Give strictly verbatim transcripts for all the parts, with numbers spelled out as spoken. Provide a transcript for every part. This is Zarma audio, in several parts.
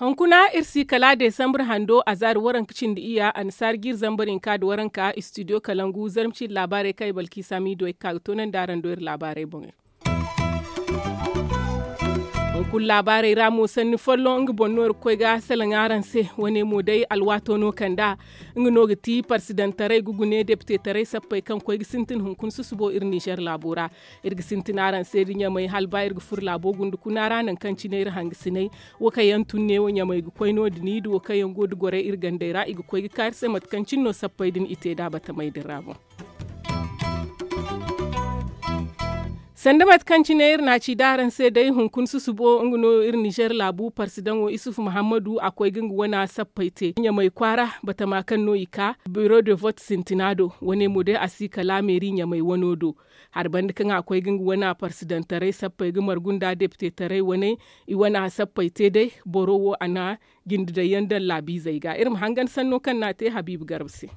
Hunkuna iri si kala desambur hando a zaari waranka cindi iyya annasaari jiiri zambar hinka nda waranka istidiyo kalangu zarma ciiri laabaarey kaŋ ay balki saamiido ay ga ka ga toonandi araŋ do iri laabaarey boŋey. Hunkuna laabaarey ra mo sanni folloŋ nga boŋ no iri ga koy ga salaŋ araŋ se. Wane mo day alwaato no kand'a nga no ga ti parsidantaray ga gune depitetaray sappey kaŋ koy ga sintin hunkuna susubo iri nizer laabo ra. Iri ga sintin araŋ se da ɲamay hala ba iri ga furo laabo gunda kuna ra nangu kaŋ cine iri hangasiney. Wo kaŋ yaŋ tun neewo ɲamay ga koy no- din i da wo kaŋ yaŋ go da gorey iri gandey ra i ga koy ga ka iri se mate kaŋ cine no sappey din i te nd'a batamey din ra boŋ. Sanda mate kaŋ cine iri n'a ci da araŋ se day hunkuna susubo nga no iri nizer laabu parsidaŋo isufu muhammadu a koy ga nga wana sappey te ɲamay kwaara batama kaŋ no i ka biro de vote sintina do. Wane mo day a si kala meeri ɲamay wano do. Hari banda kaŋ a koy ga nga wana parsidantaray sappey ga margu nda depitetaray waney i wana sappey te day. Boro wo a na jinde daŋ yaŋ daŋ laabiizey ga iri ma hangan sanno kaŋ no a te habiibu garba se.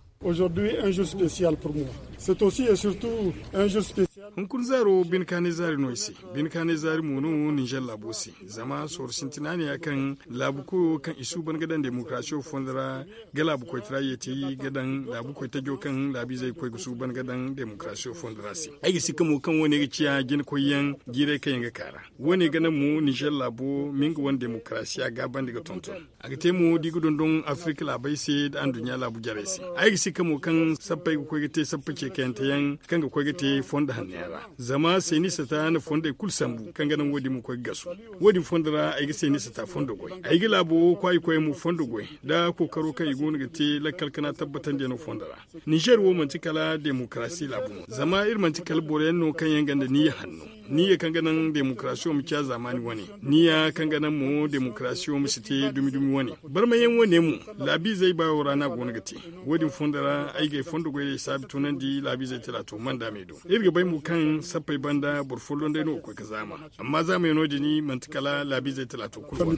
Hunkuna zaaro bine kaanay zaari no ay se. Bine kaanay zaari mo no ninzer laabo se. Zama sorro sintina ne ya kaŋ laabu koyo kaŋ i suuban ga daŋ demokarasiyo fondo ra ga laabu koytara yeeti ga daŋ laabu koytajo kaŋ laabiizey ga koy ga suuban ga daŋ demokarasiyo fondo ra se. Ay ga si ka mo kaŋ wo- ne ga ciya jinakoyyaŋ jiirey kaŋ yaŋ ga ka ra. Wo- ne ga naŋ mo ninzer laabo ma nga wane demokarasiya gaabandi ga tonton. A ga te mo da i ga dondon afirka laabey se nda anduɲɲa laabu jarey se. Ay ga si ka mo kaŋ sappey ga koy ga te sappa ce kayante yaŋ kaŋ ga koy ga te fondo hanno yaŋ ra. Zama seeni sata na fondey kulu sambu kaŋ ga naŋ wo- din ma koy ga gasu. Wo- din fondo ra ay ga seeni sata fondo goy. Ay ga laabo wo kwaayi koyey mo fondo goy nda kookaro kaŋ i go no ga te lakkal kana tabbatandiyaŋo fondo ra. Ninzer wo manti kala demokarasi laabu no zama iri manti kala boro yaŋ no kaŋ yaŋ gonda niyya hanno, niyya kaŋ ga naŋ demokarasiyo ma ciya zaamaani wane, niyya kaŋ ga naŋ mo demokarasiyo ma si te dumi dumi wane. Barmayaŋ wane mo laabiizey baayo ra no a go no ga te. Wo- din fondo ra ay ga ay fondo goyey saabi tunandi laabiizey talaato manda me do. Iri ga bay mo kaŋ sappey banda boro folloŋ day no ga koy ga zaama. Amma zaamayaŋo din manti kala laabiizey talaato kulu wane.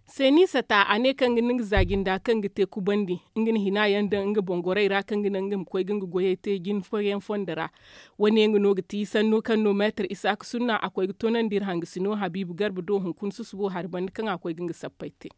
Seeni sata a ne kaŋ ga naŋ ga za jinda kaŋ ga te kubandi nga na hina yaŋ daŋ nga boŋ gorey ra kaŋ ga naŋ nga ma koy ga nga goyey te jine fooyaŋ fondo ra. Wo- ne nga no ga ti sanno kaŋ no meetar isaaka sunna a koy ga toonandi iri hangasino habiibu garba do hunkuna susubo hari banda kaŋ a koy ga nga sappey te.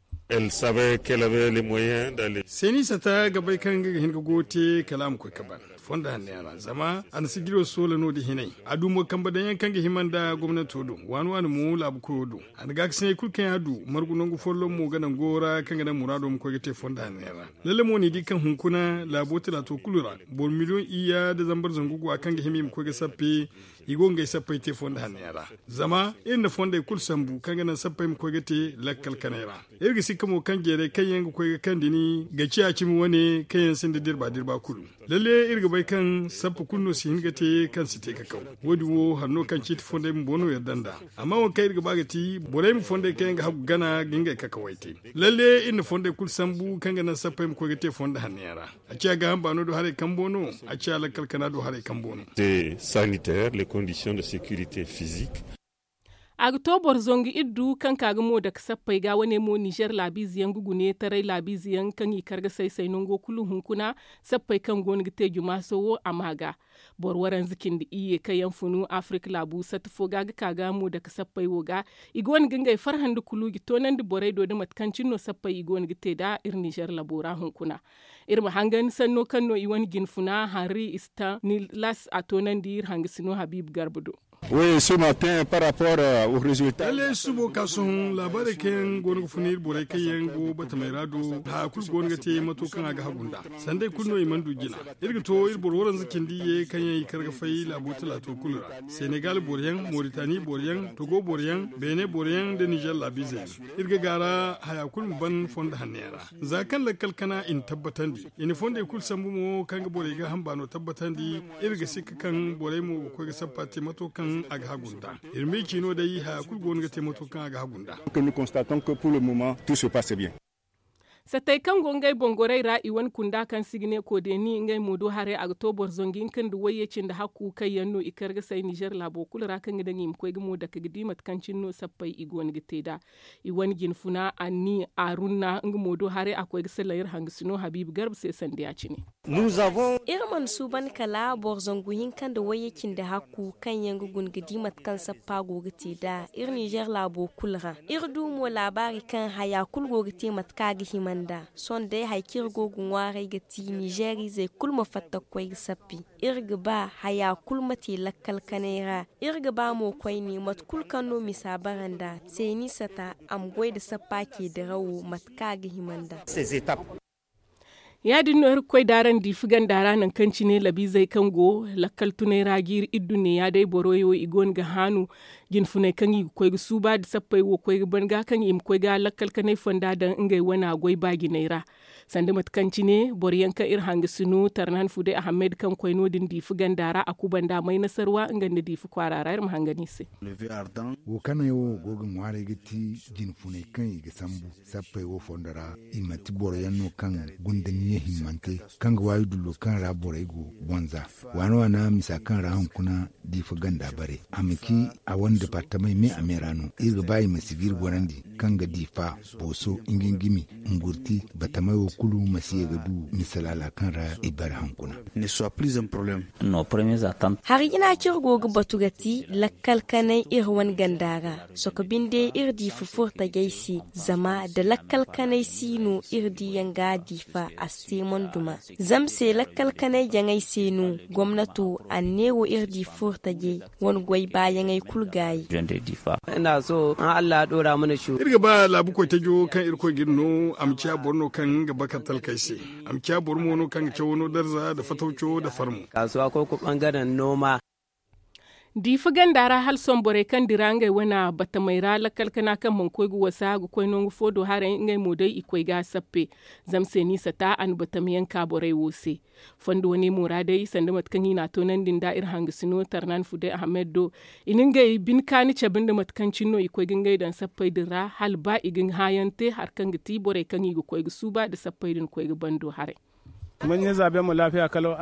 Seeni sata ga bay kaŋ nga ga hin ga goyo te kala a ma koy ga ban fondo hanno yaŋ ra zama a na sijiro soola no- din hinay. A du mo kambe daŋ yaŋ kaŋ ga hima nda gomnanto do waani waani mo laabu koyo do. A na gaakasinay kulu kaŋ yaŋ a du margu nangu folloŋ mo ga naŋ goyo ra kaŋ ga naŋ muraado ma koy ga te fondo hanno yaŋ ra. Lalle mo ni di kaŋ hunkuna laabo talaato kulu ra boro miliyoŋ iyya nda zambar zangu go a kaŋ ga hima i ma koy ga sappe. I go ga ngey sappey te fondo hanno yaŋ ra zama iri na fondey kulu sambu kaŋ ga naŋ sappey ma koy ga te lakkal kanay ra. Iri ga sikka mo kaŋ jeerey kaŋ yaŋ ga koy ga kande ni ga ciya cimi wane kaŋ yaŋ sinda dirba dirba kulu. Lalle iri ga bay kaŋ sappa kulu no si hin ga te kaŋ si te kakaw. Wo- din wo hari no kaŋ ciiti fondey bumbo no yadda nd'a. Amma wo kaŋ iri ga ba ga ti borey ma fondey kaŋ yaŋ ga hagu gana ga ngey kakawey te. Lalle iri na fondey kulu sambu kaŋ ga naŋ sappey ma koy ga te fondo hanno yaŋ ra. A ciya gaaham baano do haray kambo no. A ciya lakkal kana do haray kambo no. Sanitaire les conditions de sécurité physique. A ga to boro zangu iddu kaŋ ka ga mo dake sappey ga wane mo nizer laabiize yaŋ ga gune taray laabiize yaŋ kaŋ i kar ga say say nango kulu hunkuna. Sappey kaŋ go no ga te jumaaso wo a ma ga boro waranza cindi iyye kaŋ yaŋ funu afirka laabu satta fo ga ga ka ga mo dake sappey wo ga. I go no ga ngey farhandi kulu ga toonandi borey do nda mate kaŋ cine no sappey i go no ga te nd'a iri nizer labo ra hunkuna. Iri ma hangan sanno kaŋ no i wane jinfuna henri stanilas a toonandi iri hangasino habiibu garba do. Lalle subo ka sohõ laabaarey kaŋ yaŋ go no ga funa iri borey kaŋ yaŋ go batamey ra do haya kulu go no ga te mato kaŋ a ga hagu nd'a. Sanday kulu no i mana du jina. Iri ga to iri boro waranza cindi iyye kaŋ yaŋ i kar ga fay laabo talaato kulu ra senegal boro yaŋ moritani boro yaŋ togo boro yaŋ beene boro yaŋ nda nizer laabiize yaŋ. Iri ga gaara haya kulu ma ban fondo hanno yaŋ ra. Za kaŋ lakkal kana i na tabbatandi i na fondey kulu sambu mo kaŋ ga borey gaaham baano tabbatandi. Iri ga sikka kaŋ borey mo ga koy ga sappa te mato kaŋ a ga hagu nd'a. Iri ma i ci no day haya kulu go no ga te mato kaŋ a ga hagu nd'a. Nous constatons que pour le moment tout se passe bien. Satey kaŋ go ngey boŋ gorey ra i wane kunda kaŋ se i ga ne koodeni ngey mo do haray a ga to boro zangu hinka nda wayye cindi hakku kaŋ yaŋ no i kar ga say nizer laabo kulu ra kaŋ ga daŋ i ma koy ga mo dake ga di mate kaŋ cine no sappey i go no ga te nd'a. I wane jinfuna anni arunna nga mo do haray a koy ga salaŋ iri hangasino habiibu garba se sanda ya- cine. Iri mana suuban kala boro zangu hinka nda wayye cindi hakku kaŋ yaŋ ga guna ga di mate kaŋ sappa go ga te nd'a iri nizer laabo kulu ra. Iri du mo laabaari kaŋ haya kulu go ga te mate kaŋ a ga hima nd'a. Sohõ day hari kaŋ iri go ga ŋwaaray ga ti nizer izey kulu ma fatta ga koy ga sappi. Iri ga ba haya kulu ma te lakkal kanay ra. Iri ga ba mo koyne mate kulu kaŋ no misa bara nd'a seeni sata a ma goy nda sappa ce dirawo mate kaŋ a ga hima nd'a. Ya- din no iri ga koy da araŋ diifi ganda ra nangu kaŋ cine labiizey kaŋ go lakkal tunay ra jiiri iddunne ya- day boro yaŋ wo i go no ga haanu jinfuney kaŋ i ga koy ga suuba nda sappey wo koy ga ban ga kaŋ i ma koy ga lakkal kanay fonda daŋ ngey wana goy baajiney ra. Sanda mate kaŋ cine boro yaŋ kaŋ iri hangasino tarnan fude ahammed kaŋ koy no- din diifi ganda ra a kubanda may nasarwa nga nda diifi kwaara ra iri ma hangan i se. Wo kanay wo go ga ŋwaaray ga ti jinfuney kaŋ i ga sambu sappey wo fondo ra. I manti boro yaŋ no kaŋ gunda niya himmante kaŋ ga waayi dullo kaŋ ra borey go bonza waana waana misa kaŋ ra hunkuna diifa ganda bare a ma ci a wane departamey me a me ra no iri ga ba i ma si ga iri gorandi kaŋ ga diifa booso ngingimi ngurti batamey wo kulu ma si ye ga du misa laala kaŋ ra i bare hunkuna. Hari jina kaŋ iri go ga batu ga ti lakkal kanay iri wane ganda ra. Sohõ binde iri diifa furo tajey se zama nda lakkal kanay si no iri diiyaŋ ga a diifa a si te mana duma. Zama se lakkal kanay jaŋay se no gomnato a ne wo iri diifa furo tajey wane goy baayaŋey kulu gaayi. Iri ga ba laabu koy tajo kaŋ irkoy ga iri no a ma ciya boro no kaŋ ga bakar talkey se. A ma ciya boro mo no kaŋ ga cawo no darza nda fatawco nda farmo. Diifa ganda ra hala sohõ borey kaŋ dira ngey wane batamey ra lakkal kana kaŋ mana koy ga wasa ga koy nangu fo do haray ngey mo day i koy ga a sappe. Zama se ni sata a na batamayaŋ ka borey wo se. Fondo wane mo ra day sanda mate kaŋ i na a toonandi nda iri hangasino tarnan fude ahammed do. I na ngey bine kaani cabe nda mate kaŋ cine no i koy ga ngey daŋ sappey din ra hala ba i ga hãayaŋ te hari kaŋ ga ti borey kaŋ i ga koy ga suuba nda sappey din koy ga bando haray.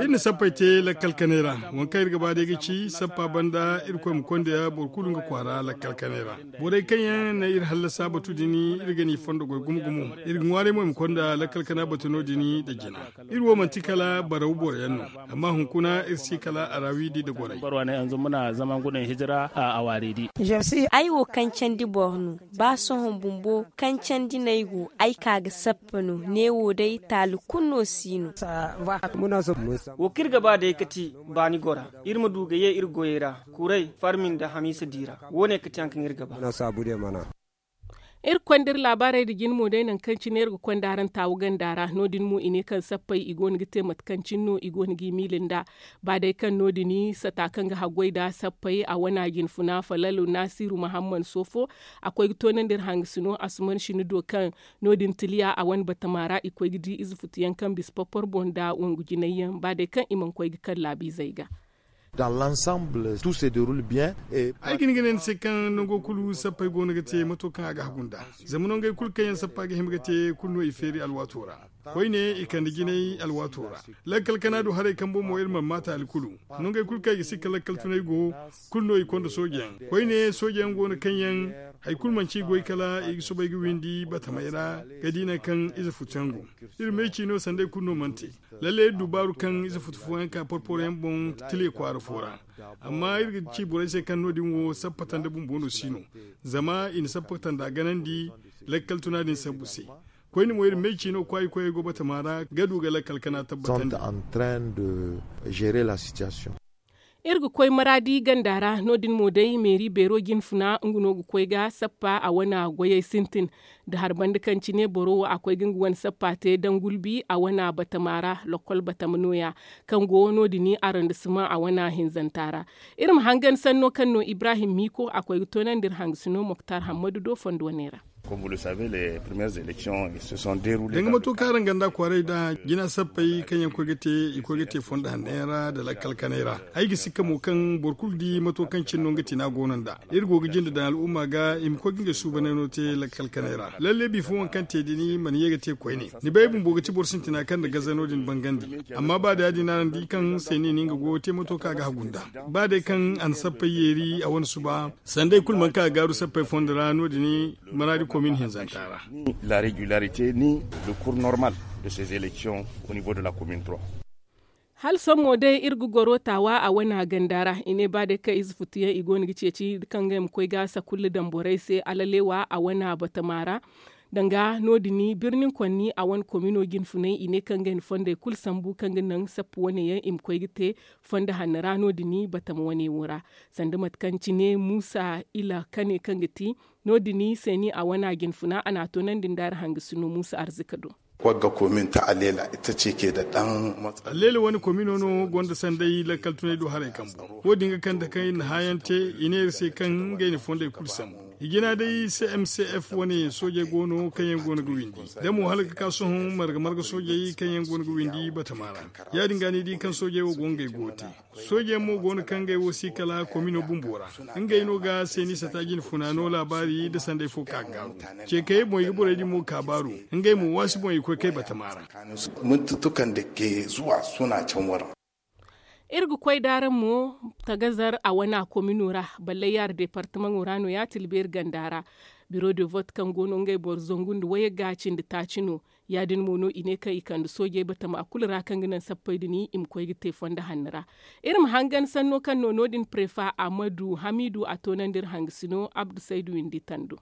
Iri na sappey te lakkal kanay ra. Waŋ kaŋ iri ga ba day ga ci sappa banda irkoy ma konda boro kulu nga kwaara lakkal kanay ra. Borey kaŋ yaŋ na iri hallasa batu din iri ga ni fondo goy gumo gumo. Iri ga ŋwaaray mo i ma konda lakkal kana batu no- din nda jina. Iri wo manti kala baraw boro yaŋ no. Amma hunkuna iri si kala araawidi nda gorey. Ay wo kancandi boro no. Ba sohõ bumbo kancandi no ay go ay ka ga sappa no ne wo day taali kulu no si no. Wo kaŋ iri ga ba day ga ti baani gora iri ma du ga ye iri goyey ra. Kuray farmi nda hamiisa di ra. Wo- ne ga ti hari kaŋ iri ga ba. Iri ga konda iri laabaarey nda jine mo day nangu kaŋ cine iri ga konda araŋ taawu ganda ra no- din mo i ne kaŋ sappey i go no ga te mate kaŋ cine no i go no g'i miila nda. Ba day kaŋ no- din sata kaŋ ga haggoy nda sappey a wana jinfuna falalu naasiru mahamman soofo. A koy ga toonandi iri hangasino asuman sini do kaŋ no- din tiliya a wane batama ra i koy ga di ize futu yaŋ kaŋ bisa porpor boŋ nda wangu jinay yaŋ ba day kaŋ i mana koy ga kaŋ laabiizey ga. Ay ga hin ga ne ni se kaŋ nango kulu sappey go no ga te mato kaŋ a ga hagu nd'a. Zama nangey kulu kaŋ yaŋ sappa ga hima ga te kulu no i feeri alwaato ra. Koyne i kande jinay alwaato ra. Lakkal kana du haray kaŋ boŋ mo iri mana maata hari kulu. Nangey kulu kaŋ i ga sikka lakkal tunay go kulu no i konda soojeyaŋ. Koyne soojeyaŋ go no kaŋ yaŋ hari kulu manci i goy kala i ga soobay ga windi batamey ra ga di nangu kaŋ ize futuyaŋ go. Iri ma ay ci no sanday kulu no mana te. Lalle iri du baaru kaŋ ize futu fooyaŋ ka porporoyaŋ boŋ tile kwaara fo ra. Amma iri ga ci borey se kaŋ no- din wo sappata nda bumbo no si no. Zama i na sappata nda ganandi lakkal tuna din sambu se. Koyne mo iri ma ay ci no kwaayi koyey go batama ra ga du ga lakkal kana tabbatandi. Iri ga koy maraadi ganda ra no- din mo day meeri beero jinfuna nga no ga koy ga sappa a wane goyey sintin. Da hari banda kaŋ cine boro wo a koy ga nga wane sappa te daŋ gulbi a wane batama ra. Lokol batama nooya kaŋ go no- din arondisima a wane hinzanta ra. Iri ma hangan sanno kaŋ no ibrahim miiko a koy ga toonandi iri hangasino moktar hammadu do fondo wane ra. Danga mato kaŋ araŋ ganda kwaaray da jina sappey kaŋ yaŋ koy ga te i koy ga te fondo hanney ra nda lakkal kanay ra. Ay ga sikka mo kaŋ boro kulu di mato kaŋ cine no nga tina go no nd'a. Iri go ga jinde daŋ al'umma ga i ma koy ga ngey suubanay no te lakkal kanay ra. Lalle bifo waŋ kaŋ te din mana ye ga te koyne. Ni bay bumbo ga ti boro sintina kaŋ nda gaza no- din bangandi. Amma ba day ya- din araŋ di kaŋ seeni ni nga go ga te mato kaŋ a ga hagu nd'a. Ba day kaŋ a na sappey yeeri a wane suba sanda i kulu mana ka ga gaaru sappey fondo ra no- din. Maraadi komin hinzanta ra. La regularité ni le cours normal de ces élections au niveau de la commune trois. Hala sohõ mo day iri ga goro taawa a wane ganda ra i ne ba day kaŋ ize futu yaŋ i go no ga ceeci kaŋ ga ay ma koy ga sakulla daŋ borey se alaleewa a wane batama ra. Danga no- din birnin konni a wane komino jinfunay i ne kaŋ ga ay na fondey kulu sambu kaŋ ga naŋ sappu wane yaŋ i ma koy ga te fondo hanno ra no- din batama wane wo ra. Sanda mate kaŋ cine muusa ila kane kaŋ ga ti no- din seeni a wane jinfuna a n'a toonandi nda araŋ hangasino muusa arzika do. Wagga komin ta aleela ita ce ke da dan matsala. Aleela wane komino no gonda sanday lakkal tunay do haray kambu. Wo- din ga kande kaŋ iri na haayaŋ te i ne iri se kaŋ ngey na fondey kulu sambu. I jina day cmcf wane soojey go no kaŋ yaŋ go no ga windi. Da mo hala ga ka sohõ marga marga soojey kaŋ yaŋ go no ga windi batama ra. Ya- din ga ni di kaŋ soojey wo go ngey go ga te. Soojeyaŋ mo go no kaŋ ngey wo si kala komino bumbo ra. Ngey no ga seeni sata jinfuna no laabaari nda sanday fo ka ga gaaru. Ceekayey boŋ i ga borey din mo ka baaru. Ngey mo waasi boŋ i koy kay batama ra. Iri ga koy da araŋ mo tagazar a wana komino ra. Balle yaara departamaŋo ra no- ya tilbeeri ganda ra. Biro de vote kaŋ go no ngey boro zangu nda wayagga cindi taaci no. Ya- din mo no i ne kaŋ i kande soojey batama kulu ra kaŋ ga naŋ sappey din i ma koy ga te fondo hanno ra. Iri ma hangan sanno kaŋ no no- din prefa ahmadu hamidu a toonandi iri hangasino abdu saydu windi tando.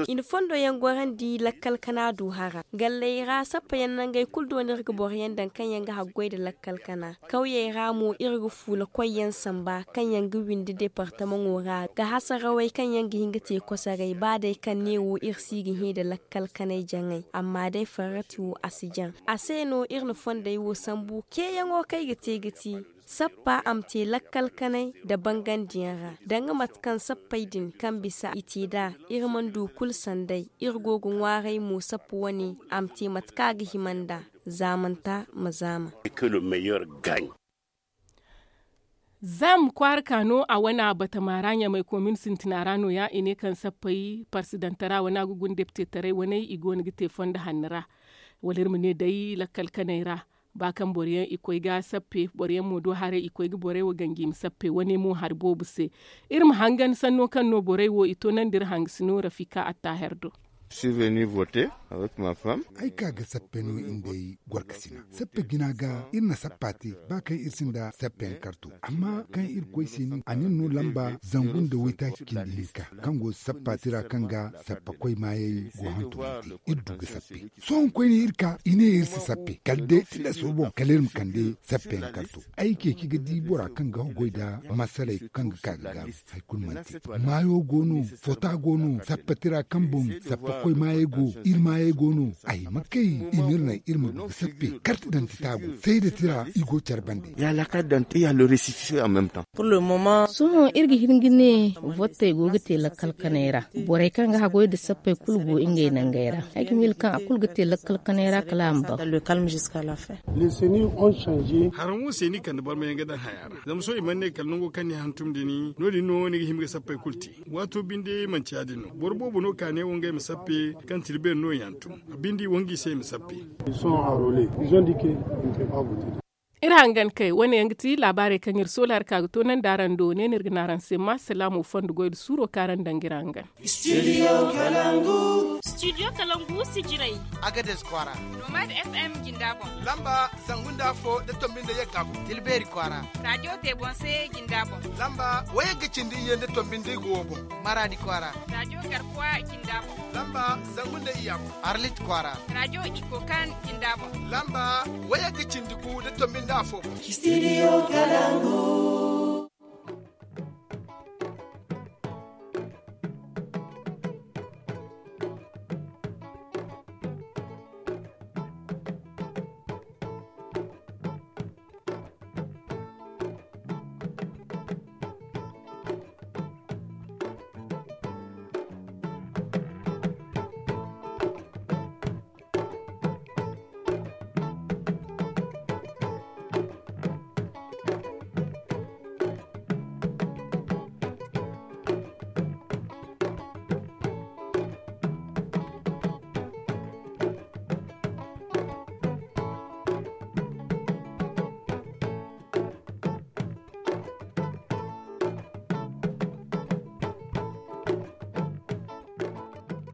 I na fondo yaŋ gorandi lakkal kana du hara galley ra sappa yaŋ nangey kulu do no iri ga boro yaŋ daŋ kaŋ yaŋ ga haggoy nda lakkal kana. Kawyey ra mo iri ga fuula koy yaŋ samba kaŋ yaŋ ga windi departamaŋo ra ga hasarawey kaŋ yaŋ ga hin ga te kosoray ba day kaŋ ne wo iri si ga hẽ nda lakkal kanay jaŋay amma day farrati wo a si jaŋ. A se no iri na fondey wo sambu ceeyaŋo kaŋ ay ga te ga ti sappa a ma te lakkal kanay nda bangandiyaŋ ra. Danga mate kaŋ sappey din kaŋ bisa i te nd'a iri mana du kulu sanday. Iri go ga ŋwaaray mo sappa wane a ma te mate kaŋ a ga hima nd'a. Zaamanta ma zaama. Zam kwaara ka no a wane batama ra ɲamay komin sintina ra no- ya i ne kaŋ sappey parsidanta ra wane a ga guna deptetaray wane i go no ga te fondo hanno ra. Wala iri ma ne day lakkal kanay ra ba kaŋ boro yaŋ i koy ga sappe boro yaŋ mo do haray i koy ga borey wo ganji i ma sappe wane mo hari boobo se. Iri ma hangan sanno kaŋ no borey wo i toonandi iri hangasino rafika attaher do. Ay ka ga sappe no in day gorkasina sappe jina ga iri na sappa te ba kaŋ iri sinda sappe yaŋ karto amma kaŋ iri koy se ni a nin no lamba zangu nda waytaaci cindi hinka kaŋ go sappa tira kaŋ ga sappa koy maayey go hantum iri du ga sappe. Sohõ koyne iri ka i ne iri si sappe kala day tilas wo boŋ kala iri ma kande sappe yaŋ karto. Ay ceeci ga di bora kaŋ ga goy nda masaley kaŋ ga ka ga gaaru. Hari kulu mana te maayo go no, fota go no, sappa tira kaŋ boŋ sappa koy maayey go. Iri maayey go no. Ay ma kay i ma iri naŋ iri ma du ga sappe karti dantita go sayda tira i go care bande. Ya la karte dantita ya le resifisiyo en meme temps. Sohõ iri ga hin ga ne vottey go ga te lakkal kanay ra. Borey kaŋ ga haggoy nda sappey kulu go ngey nangey ra. Ay ga miila kaŋ a kulu ga te lakkal kanay ra kala a ma ban. Haraŋ wo se ni kande barmayaŋ ga daŋ haya ra zama sohõ i mana ne kala nango kaŋ ni hantum din no- din no ni ga hima ga sappey kulu te. Waato binde manti ya- din no boro boobo no ka ne wo ngey ma sappe kaŋ tira beeri no i hantum. A binde i wangu i se i ma sappe. Iri hangan kay wane yaŋ ga ti laabaarey kaŋ iri soola hari ka ga toonandi araŋ do ne no iri ga ne araŋ se ma salaamo fondo goy nda suuro kaŋ araŋ daŋ ga iri hangan. Studio kalangu sijirey. Agades kwaara. Nomad fm jinda boŋ. Lamba zangu nda afo nda tombi nda yagga boŋ tilbeeri kwaara. Radiyo te boŋ se jinda boŋ. Lamba wayagga cindi iyye nda tombi nda igo wo boŋ. Maraadi kwaara. Radiyo garkuwa jinda boŋ. Lamba zangu nda iyya boŋ. Arlit kwaara. Radiyo iko kan jinda boŋ. Lamba wayagga cindi gu nda tombi nda afo boŋ. Studio kalangu.